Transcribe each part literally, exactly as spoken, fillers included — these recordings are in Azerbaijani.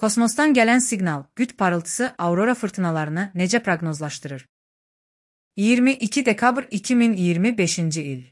Kosmosdan gələn siqnal, qütb parıltısı aurora fırtınalarını necə proqnozlaşdırır? iyirmi iki dekabr iki min iyirmi beşinci il.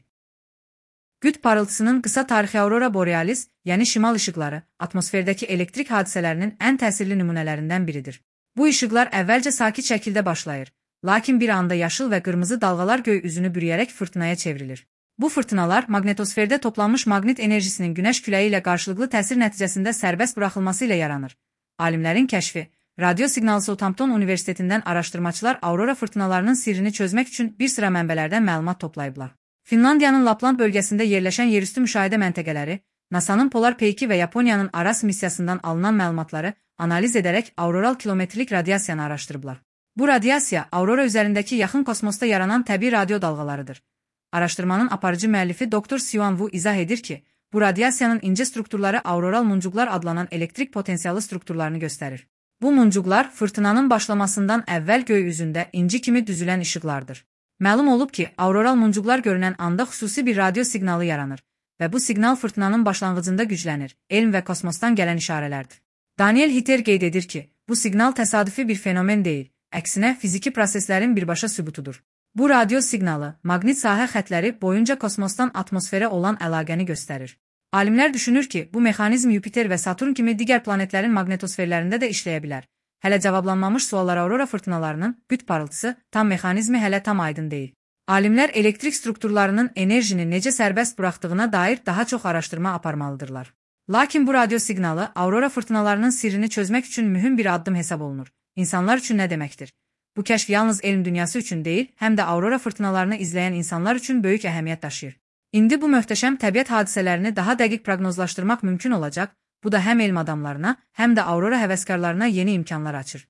Qütb parıltısının qısa tarixi aurora borealis, yəni şimal işıqları, atmosferdəki elektrik hadisələrinin ən təsirli nümunələrindən biridir. Bu işıqlar əvvəlcə sakit şəkildə başlayır, lakin bir anda yaşıl və qırmızı dalğalar göy üzünü bürüyərək fırtınaya çevrilir. Bu fırtınalar maqnetosferdə toplanmış maqnit enerjisinin günəş küləyi ilə qarşılıqlı təsir nəticəsində sərbəst buraxılması ilə yaranır. Alimlərin kəşfi, Radio Signal Southampton Universitetindən araşdırmaçılar aurora fırtınalarının sirrini çözmək üçün bir sıra mənbələrdən məlumat toplayıblar. Finlandiyanın Lapland bölgəsində yerləşən yerüstü müşahidə məntəqələri, NASA'nın Polar Peyki və Yaponiyanın Aras missiyasından alınan məlumatları analiz edərək auroral kilometrlik radiasiyanı araşdırıblar. Bu radiasiya, aurora üzərindəki yaxın kosmosda yaranan təbii radio dalğalarıdır. Araşdırmanın aparıcı müəllifi doktor Xiuan Wu izah edir ki, bu radiasiyanın incə strukturları auroral muncuqlar adlanan elektrik potensialı strukturlarını göstərir. Bu muncuqlar fırtınanın başlamasından əvvəl göy üzündə inci kimi düzülən işıqlardır. Məlum olub ki, auroral muncuqlar görünən anda xüsusi bir radio siqnalı yaranır və bu siqnal fırtınanın başlanğıcında güclənir, elm və kosmosdan gələn işarələrdir. Daniel Hiter qeyd edir ki, bu siqnal təsadüfi bir fenomen deyil, əksinə fiziki proseslərin birbaşa sübutudur. Bu radio siqnalı, maqnit sahə xətləri boyunca kosmosdan atmosferə olan əlaqəni göstərir. Alimlər düşünür ki, bu mexanizm Yupiter və Saturn kimi digər planetlərin maqnetosferlərində də işləyə bilər. Hələ cavablanmamış suallar aurora fırtınalarının qütb parıltısı tam mexanizmi hələ tam aydın deyil. Alimlər elektrik strukturlarının enerjini necə sərbəst buraxdığına dair daha çox araşdırma aparmalıdırlar. Lakin bu radio siqnalı aurora fırtınalarının sirrini çözmək üçün mühüm bir addım hesab olunur. İnsanlar üçün nə deməkdir? Bu kəşf yalnız elm dünyası üçün deyil, həm də aurora fırtınalarını izləyən insanlar üçün böyük əhəmiyyət daşıyır. İndi bu möhtəşəm təbiət hadisələrini daha dəqiq proqnozlaşdırmaq mümkün olacaq, bu da həm elm adamlarına, həm də aurora həvəskarlarına yeni imkanlar açır.